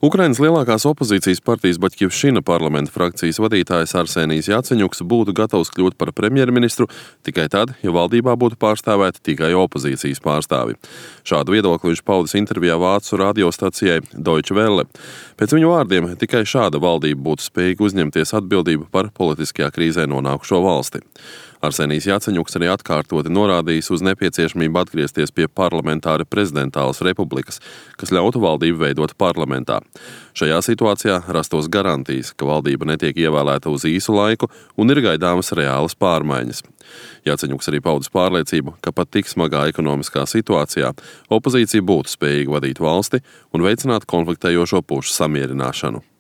Ukrainas lielākās opozīcijas partijas Baķkivšina parlamenta frakcijas vadītājs Arsenijs Jaceņuks būtu gatavs kļūt par premjerministru tikai tad, ja valdībā būtu pārstāvēti tikai opozīcijas pārstāvi. Šādu viedokli viņš paudis intervijā vācu radiostacijai Deutsche Welle. Pēc viņu vārdiem, tikai šāda valdība būtu spējīga uzņemties atbildību par politiskajā krīzē nonākušo valsti. Arsenijs Jaceņuks arī atkārtoti norādījis uz nepieciešamību atgriezties pie parlamentāra prezidentālas republikas, kas ļautu valdību veidot parlamentā. Šajā situācijā rastos garantijas, ka valdība netiek ievēlēta uz īsu laiku un ir gaidāmas reālas pārmaiņas. Jaceņuks arī paudis pārliecību, ka pat tik smagā ekonomiskā situācijā opozīcija būtu spējīga vadīt valsti un veicināt konfliktējošo pušu samierināšanu.